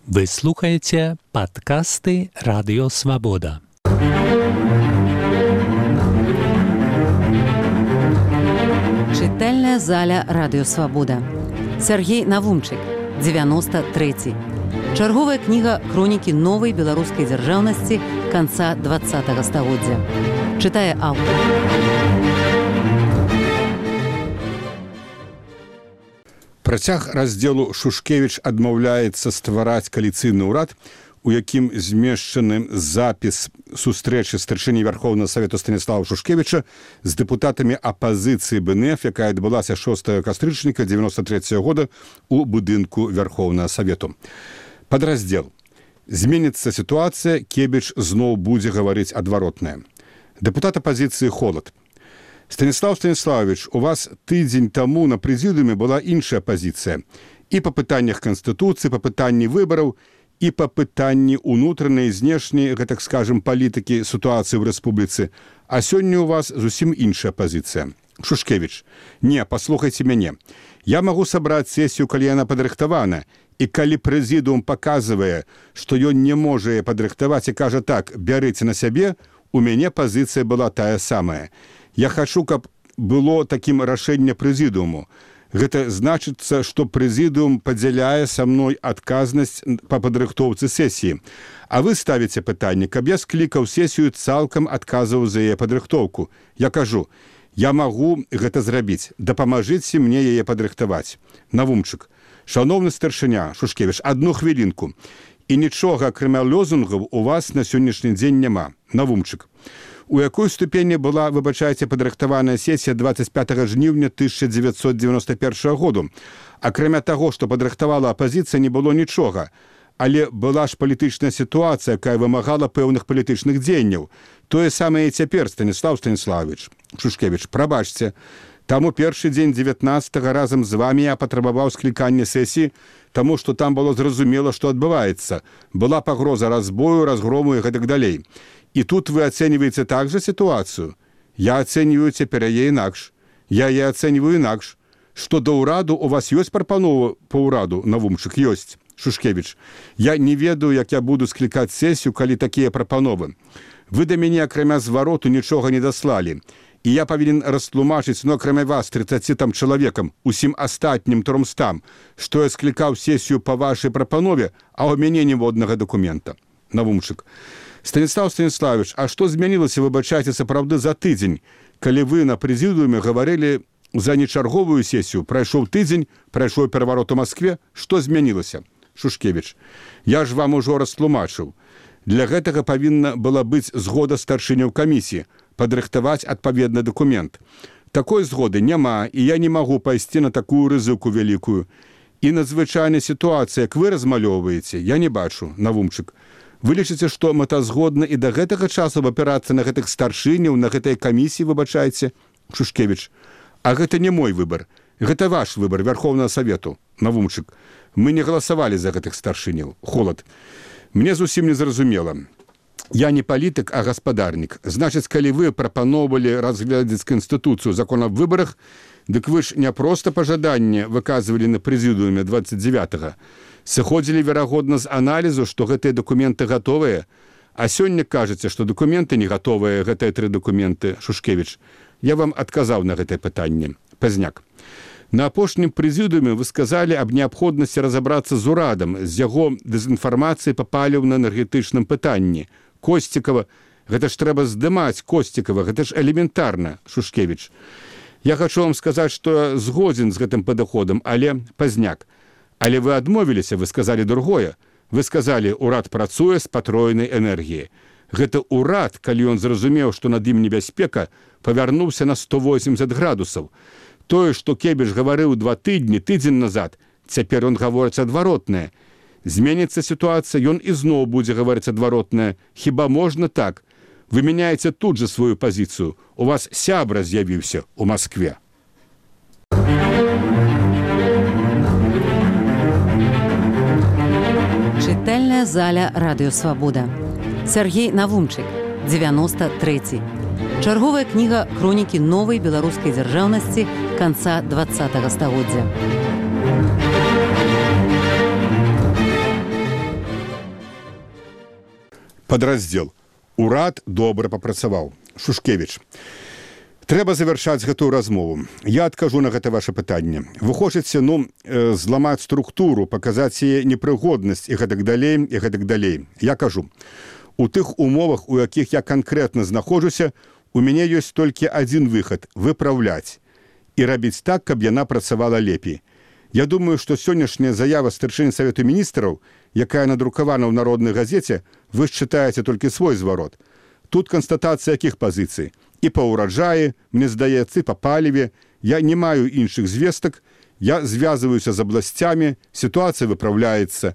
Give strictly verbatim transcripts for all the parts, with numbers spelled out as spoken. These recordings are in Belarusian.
Вы слухаете подкасты «Радио Свобода». Чытальная заля «Радио Свобода». Сергей Навумчык, девяносто третий. Чарговая кніга хронікі новай беларускай дзяржаўнасці канца двадцатага стагоддзя. Чытае аўтар. Працяг раздзелу Шушкевіч адмаўляецца ствараць кааліцыйны ўрад, у якім змешчаны запіс сустрэчы старшыні Вярхоўнага Савету Станіслава Шушкевіча з дэпутатамі апазіцыі БНФ, якая адбылася шостага кастрычніка дзевяносто трэцяга года у будынку Вярхоўнага Савету. Падраздзел. Зменіцца сітуацыя, Кебіч зноў будзе гаварыць адваротнае. Дэпутат апазіцыі Холад. Станіслав Станіславович, у вас тыдзень таму на прэзідыуме была іншая пазіцыя. І па пытаннях Канстытуцыі, па пытанні выбараў, і па пытанні ўнутранай, знешняй, гэтак скажам, палітыкі сітуацыі ў рэспубліцы. А сёння у вас зусім іншая пазіцыя. Шушкевіч. Не, паслухайце мяне. Я магу сабраць сесію, калі яна падрыхтавана, і калі прэзідыум паказвае, што ён не можа яе падрыхтаваць і кажа так, бярыце на сябе, у мяне пазіцыя была тая самая. Я хачу, каб было такім рашэнне прэзідыуму. Гэта значыцца, што прэзідыум падзяляе са мной адказнасць па падрыхтоўцы сесіі. А вы ставіце пытанне, каб я склікаў сесію, цалкам адказваў за яе падрыхтоўку. Я кажу, я магу гэта зрабіць, дапамажыце мне яе падрыхтаваць. Навумчык. Шановны старшыня, Шушкевіч, адну хвілінку. І нічога, акрамя лозунгаў, у вас на сённяшні дзень няма. Навумчык. У якой ступені была, выбачайце, падрыхтаваная сесія двадцать пятага жніўня тысяча дзевяцьсот девяносто першага году. Акрамя таго, што падрыхтавала апазіцыя, не было нічога. Але была ж палітычная сітуацыя, якая вымагала пэўных палітычных дзеянняў. Тое самае і цяпер, Станіслав Станіславович. Шушкевіч, прабачце. Таму першы дзень дзевятнаццатага разам з вамі я патрабаваў склікання сесіі, таму што там было зразумела, што адбываецца. Была пагроза разбою, разгрому і гэтак далей. І тут вы ацэньваеце так жа сітуацыю. Я ацэньваю цяпер яе інакш. Я яе ацэньваю інакш. Што да ўраду у вас ёсць прапанова па ўраду, Навумчык, ёсць. Шушкевіч, я не ведаю, як я буду склікаць сесію, калі такія прапановы. Вы да мяне, акрамя звароту, нічога не даслалі. І я павінен растлумачыць, ну, акрамя вас, трыццаці там чалавекам, усім астатнім трымстам, што я склікаў сесію па вашай прапанове, а ў мяне ніводнага дакумента. Навумчык. Станіслав Станіславович, а што змянілася, выбачайце, сапраўды за тыдзень, калі вы на прэзідыуме гаварылі за нечарговую сесію, прайшоў тыдзень, прайшоў пераварот у Маскве, што змянілася? Шушкевіч, я ж вам ужо растлумачыў. Для гэтага павінна была быць згода старшыняў камісіі, падрыхтаваць адпаведны дакумент. Такой згоды няма, і я не магу пайсці на такую рызыку вялікую. І надзвычайная сітуацыя, як вы размалёўваеце, я не бачу, Навумчык. Вы лічыце, што мэтазгодна і да гэтага часу абапірацца на гэтых старшыняў, на гэтай камісіі, выбачайце? Шушкевіч, а гэта не мой выбар. Гэта ваш выбар Вярхоўнага Савету. Навумчык, мы не галасавалі за гэтых старшыняў. Холад. Мне зусім не зразумела. Я не палітык, а гаспадарнік. Значыць, калі вы прапаноўвалі разглядаць Канстытуцыю, закон аб выбарах, дык вы ж не проста пажаданне выказвалі на прэзідыуме двадцать девятага. Сыходзілі, верагодна, з аналізу, што гэтыя дакументы гатовыя, а сёння кажаце, што дакументы не гатовыя, гэтыя тры дакументы, Шушкевіч. Я вам адказаў на гэтае пытанне. Пазняк. На апошнім прэзідыуме вы сказалі аб неабходнасці разабрацца з урадам, з яго дэзінфармацыяй па паліўна-энергетычным пытанні. Косцікава, гэта ж трэба здымаць Косцікава, гэта ж элементарна, Шушкевіч. Я хачу вам сказаць, што згодзін з гэтым падыходам, але пазняк. Але вы адмовіліся, вы сказалі другое. Вы сказалі, урад працуе з патроенай энергіяй. Гэта урад, калі ён зразумеў, што над ім небяспека, павярнуўся на сто восемьдесят градусаў. Тое, што Кебіч гаварыў два тыдні, тыдзень назад, цяпер ён гаворыць адваротнае. Зменіцца сітуацыя, ён ізноў будзе гаварыць адваротнае. Хіба можна так? Вы мяняеце тут жа сваю пазіцыю. У вас сябра з'явіўся ў Маскве. Чытальная заля «Радио Свобода». Сергей Навумчык, девяносто третий. Чарговая кніга хронікі новай беларускай дзяржаўнасці канца двадцатага стагоддзя. Падраздзел. Урад добра папрацаваў. Шушкевіч. Трэба завяршаць гэтую размову. Я адкажу на гэта ваше пытанне. Вы хочаце, ну, э, зламаць структуру, паказаць яе непрыгоднасць і гэтак далей, і гэтак далей. Я кажу, у тых умовах, у якіх я канкрэтна знаходжуся, у мяне ёсць толькі адзін выхад – выпраўляць і рабіць так, каб яна працавала лепей. Я думаю, што сённяшняя заява старшыні Савету міністраў, якая надрукавана ў народнай газеце, вы ж чытаеце толькі свой зварот. Тут канстатацыя якіх пазіцый? І па ўраджаі, мне здаецца, і па паліве. Я не маю іншых звестак, я звязваюся з абласцямі, сітуацыя выпраўляецца.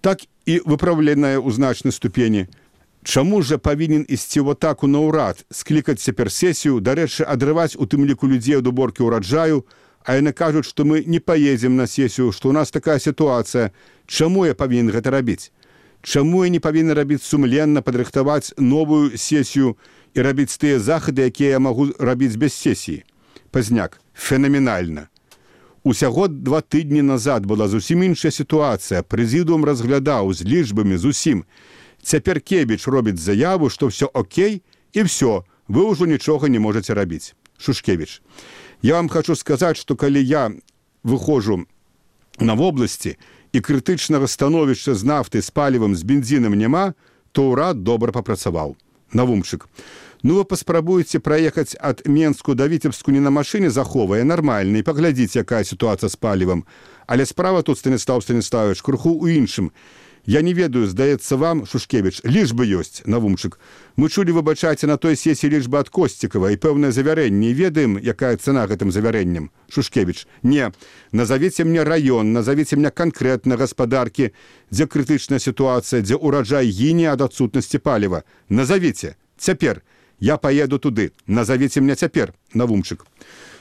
Так і выпраўленая ў значнай ступені. Чаму ж павінен ісці в атаку на ўрад, склікаць цяпер сесію, дарэчы, адрываць у тым ліку людзей ад уборкі ўраджаю, а яны кажуць, што мы не паедзем на сесію, што ў нас такая сітуацыя. Чаму я павінен гэта рабіць? Чаму я не павінен рабіць сумленна, падрыхтаваць новую сесію і рабіць тыя захады, якія я магу рабіць без сесіі? Пазняк. Фенаменальна. Усяго два тыдні назад была зусім іншая сітуацыя. Прэзідыум разглядаў з лічбамі зусім. Цяпер Кебіч робіць заяву, што ўсё окей, і ўсё, вы ўжо нічога не можаце рабіць. Шушкевіч. Я вам хочу сказаць, што калі я выходжу на вобласці і крытычнага становішча з нафтай, з палівам, з бензінам няма, то ўрад добра папрацаваў. Навумчык. Ну вы паспрабуеце праехаць ад Менску да Віцебску не на машыне заховае, нармальна, і паглядзіце, якая сітуацыя з палівам. Але справа тут, Станіслав Станіславович, крыху ў іншым. Я не ведаю, здаецца вам, Шушкевіч, лічбы ёсць, Навумчык. Мы чулі, выбачайце, на той сесіі лічбы ад Косцікава і пэўнае завярэнне. І ведаем, якая цана гэтым завярэннем. Шушкевіч. Не, назовіце мне раён, назовіце мне канкрэтна гаспадаркі, дзе крытычная сітуацыя, дзе ўраджай гіне ад адсутнасці паліва. Назовіце. Цяпер. Я паеду туды. Назовіце мне цяпер, Навумчык.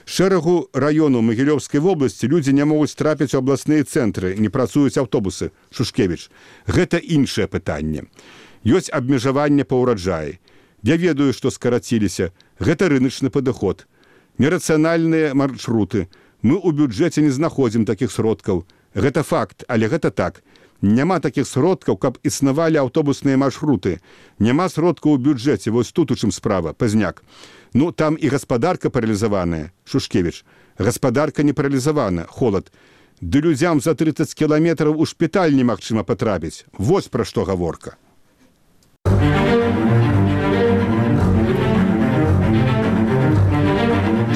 Шэрагу раёну Магілёўскай вобласці людзі не могуць трапіць у абласныя цэнтры, не працуюць аўтобусы. Шушкевіч. Гэта іншае пытанне. Ёсць абмежаванне па ўраджаі. Я ведаю, што скараціліся. Гэта рыначны падыход. Нерацыянальныя маршруты. Мы ў бюджэце не знаходзім такіх сродкаў. Гэта факт, але гэта так. Няма такіх сродкаў, каб існавалі аўтобусныя маршруты. Няма сродкаў у бюджэце, вось тут у чым справа, Пазняк. Ну, там і гаспадарка паралізаваная, Шушкевіч. Гаспадарка не паралізавана, холад. Ды людзям за трыццаць кіламетраў у шпіталь немагчыма патрапіць. Вось пра што гаворка.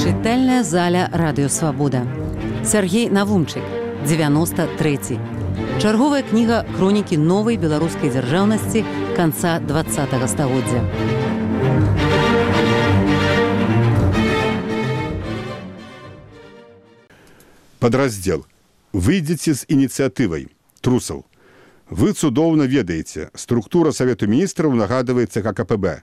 Чытальная заля Радыё Свабода. Сяргей Навумчык, дзевяноста трэці. Чарговая кніга хронікі новай беларускай дзяржаўнасці канца дваццатага стагоддзя. Падраздзел. Выйдзеце з ініцыятывай. Трусаў. Вы цудоўна ведаеце, структура Савету міністраў нагадваецца ка ка пэ бэ.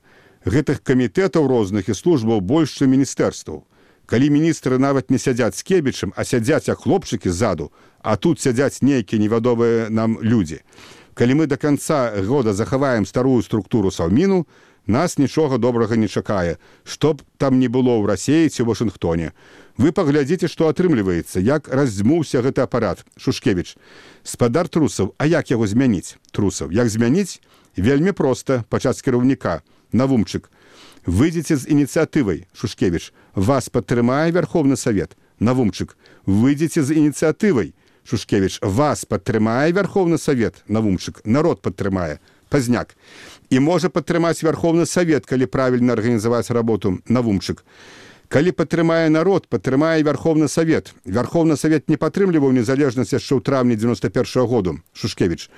Гэтых камітэтаў розных і службаў больш, чым міністэрстваў. Калі міністры нават не сядзяць з Кебічам, а сядзяць як хлопчыкі ззаду, а тут сядзяць нейкія невядомыя нам людзі. Калі мы да канца года захаваем старую структуру Саўміну, нас нічога добрага не чакае, што б там не было ў Расіі ці ў Вашынгтоне. Вы паглядзіце, што атрымліваецца, як раздзьмуўся гэты апарат. Шушкевіч. Спадар Трусаў, а як яго змяніць? Трусаў. Як змяніць? Вельмі проста, пачаць з кіраўніка. Навумчык. Выйдзеце з ініцыятывай, Шушкевіч. Вас падтрымае Верховны Савет. Навумчык. Выйдзеце з ініцыятывай, Шушкевіч. Вас падтрымае Верховны Савет. Навумчык. Народ падтрымае. Пазняк. І можа падтрымаць Верховны Савет, калі правільна арганізаваць работу. Навумчык. Калі падтрымае народ, падтрымае Верховны Савет. Верховны Савет не падтрымліваў незалежнасць яшчэ ў траўні дзевяноста першага году. Шушкевіч.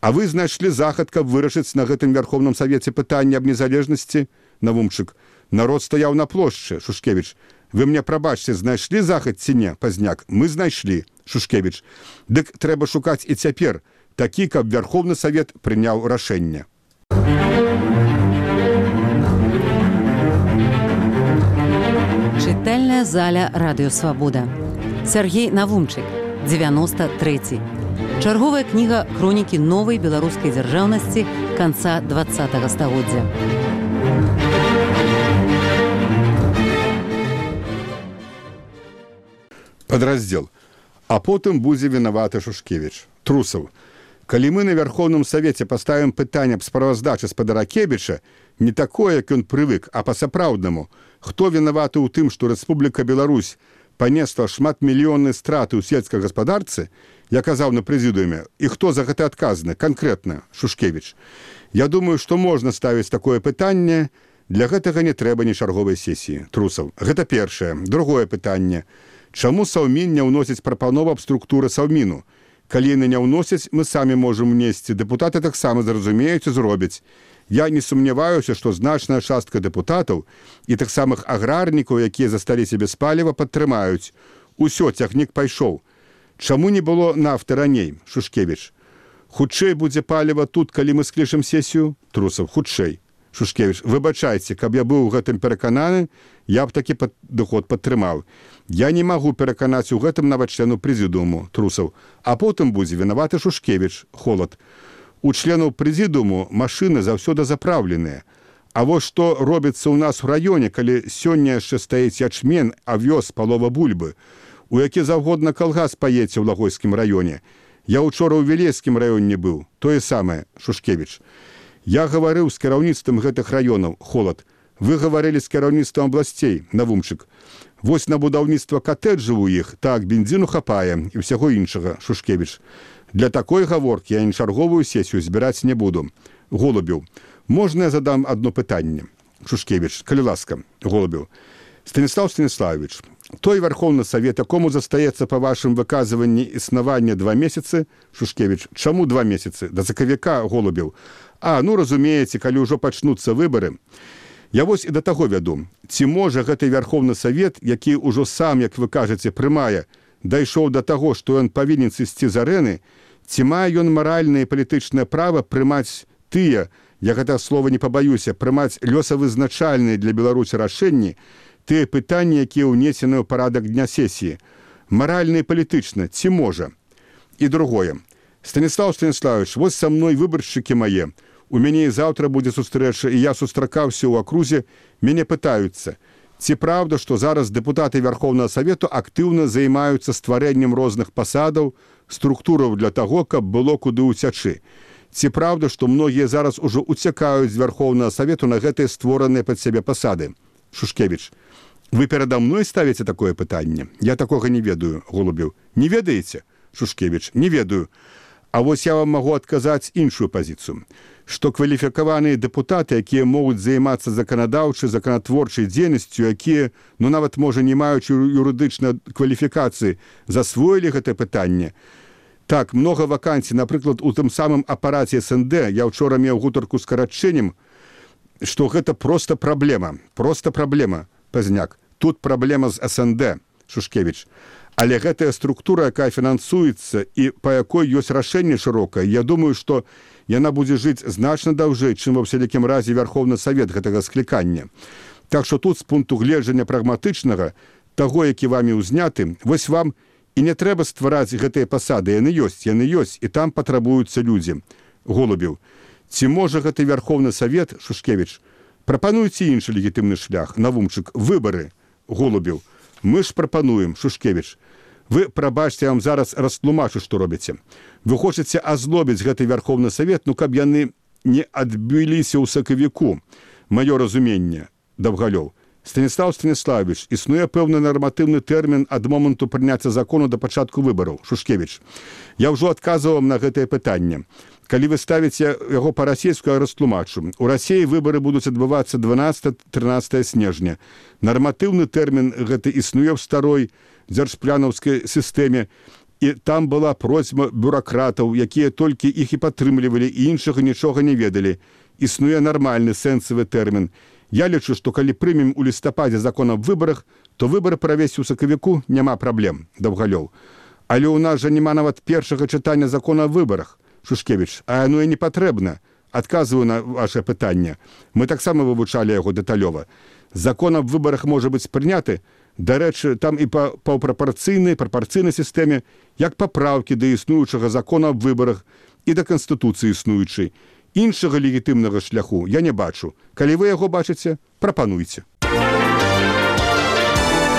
А вы знайшлі захад, каб вырашыць на гэтым Верховным Савеце пытанне аб незалежнасці? Навумчык. Народ стаяў на плошчы. Шушкевіч. Вы мне прабачце, знайшлі захад ці не? Пазняк. Мы знайшлі. Шушкевіч. Дык трэба шукаць і цяпер такі, каб Верховны Савет прыняў рашэнне. Чытальная заля Радыё Свабода. Сяргей Навумчык, дзевяноста трэці. Чарговая кніга хронікі новай беларускай дзяржаўнасці канца дваццатага стагоддзя. Падраздзел. А потым будзе вінаваты Шушкевіч. Трусаў. Калі мы на Вярхоўным Савеце паставім пытанне аб справаздачы спадара Кебіча, не такое, як ён прывык, а па-сапраўднаму, хто вінаваты ў тым, што Рэспубліка Беларусь панесла шматмільённыя страты ў сельскай гаспадарцы, я казаў на прэзідыуме, і хто за гэта адказны, канкрэтна, Шушкевіч. Я думаю, што можна ставіць такое пытанне, для гэтага не трэба ні чарговай сесіі, Трусаў. Гэта першае. Другое пытанне. Чаму Саўмін не ўносіць прапанову аб структуры Саўміну? Калі яны не ўносяць, мы самі можам унесці. Дэпутаты таксама зразумеюць і зробяць. Я не сумняваюся, што значная частка дэпутатаў і таксама аграрнікаў, якія засталіся без паліва, падтрымаюць. Усё, цягнік пайшоў. Чаму не было нафты раней, Шушкевіч? Хутчэй будзе паліва тут, калі мы склічым сесію? Трусаў, хутчэй. Шушкевіч, выбачайце, каб я быў у гэтым перакананы, я б такі падыход падтрымаў. Я не магу пераканаць у гэтым нават члену прэзідыуму, Трусаў. А потым будзе вінаваты Шушкевіч, Холад. У членаў прэзідыуму машыны заўсёды запраўленыя. А вось што робіцца ў нас у раёне, калі сёння яшчэ стаіць ячмень, авёс, палова бульбы, у які заўгодна калгас паедзе ў Лагойскім раёне. Я учора ў Вілейскім раёне быў, тое самае, Шушкевіч. Я гаварыў з кіраўніцтвам гэтых раёнаў, Холад. Вы гаварылі з кіраўніцтвам абласцей, Навумчык. Вось на будаўніцтва катэджаў у іх, так, бензіну хапае і ўсяго іншага, Шушкевіч. Для такой гаворкі я ні чарговую сесію збіраць не буду. Голубеў, можна я задам одно пытанне? Шушкевіч, калі ласка, Голубеў. Станіслав Станіславович, той Вярхоўны Савет, якому застаецца па вашым выказванні існавання два месяцы, Шушкевіч, чаму два месяцы? Да закавіка, Голубеў. А, ну, разумееце, калі ўжо пачнуцца выбары. Я вось і да таго вяду. Ці можа гэты Вярхоўны Савет, які ўжо сам, як вы кажаце, прымае, дайшоў да таго, што ён павінен сысці з арэны, ці мае ён маральнае і палітычнае права прымаць тыя, я гэта слова не пабаюся, прымаць лёсавызначальныя для Беларусі рашэнні, тыя пытанні, якія ўнесены ў парадак дня сесіі. Маральна і палітычна, ці можа? І другое. Станіслав Станіславович, вось са мной выбаршчыкі мае. У мяне і заўтра будзе сустрэча, і я сустракаўся ў акрузе, мяне пытаюцца, ці праўда, што зараз дэпутаты Вярхоўнага Савету актыўна займаюцца стварэннем розных пасадаў, структураў для таго, каб было куды ўцячы. Ці праўда, што многія зараз ужо уцякаюць з Вярхоўнага Савету на гэтыя створаныя пад сябе пасады? Шушкевіч, вы перада мной ставіце такое пытанне? Я такога не ведаю, Голубеў. Не ведаеце? Шушкевіч, не ведаю. А вось я вам магу адказаць іншую пазіцыю, што кваліфікаваныя дэпутаты, якія могуць займацца заканадаўчай, законатворчай дзейнасцю, якія, ну нават, можа, не маючы юрыдычнай кваліфікацыі, засвоілі гэтае пытанне. Так, многа вакансій, напрыклад, у тым самым апараце эс эн дэ, я ўчора меў гутарку з карачэннем, што гэта проста праблема, проста праблема, Пазняк. Тут праблема з эс эн дэ, Шушкевіч. Але гэтая структура, якая фінансуецца і па якой ёсць рашэнне шырокае, я думаю, што яна будзе жыць значна даўжэй, чым ва ўсялякім разе Вярхоўны Савет гэтага склікання. Так што тут з пункту гледжання прагматычнага, таго, які вамі ўзняты, вось вам і не трэба ствараць гэтыя пасады, яны ёсць, яны ёсць, і там патрабуюцца людзі. Голубеў, ці можа гэты Вярхоўны Савет, Шушкевіч, прапануйце іншы легітымны шлях, Навумчык, выбары, Голубеў. Мы ж прапануем, Шушкевіч. Вы, прабачце, я вам зараз растлумачу, што робіце. Вы хочаце азлобіць гэты Вярхоўны Савет, ну каб яны не адбіліся ў сакавіку. Маё разуменне, Даўгалёў. Станіслав Станіславович, існуе пэўны нарматыўны тэрмін ад моманту прыняцця закону да пачатку выбараў, Шушкевіч. Я ўжо адказваў вам на гэтае пытанне. Калі вы ставіце яго па-расейску, я растлумачу. У Расіі выбары будуць адбывацца дванаццатага-трынаццатага снежня. Нарматыўны тэрмін гэты існуе ў старой дзяржпланаўскай сістэме, і там была просьба бюракратаў, якія толькі іх і падтрымлівалі, і іншага нічога не ведалі. Існуе нармальны сэнсавы тэрмін. Я лічу, што калі прымем у лістападзе закон аб выбарах, то выбары правесці ў сакавіку няма праблем, Даўгалёў. Але ў нас жа няма нават першага чытання закона аб выбарах, Шушкевіч, а яно і не патрэбна. Адказваю на ваше пытанне. Мы таксама вывучалі яго дэталёва. Закон аб выбарах можа быць прыняты, дарэчы, там і па паўпрапарцыйнай, прапарцыйнай сістэме, як папраўкі да існуючага закона аб выбарах і да канстытуцыі існуючай. Іншага легітымнага шляху я не бачу. Калі вы яго бачыце, прапануйце.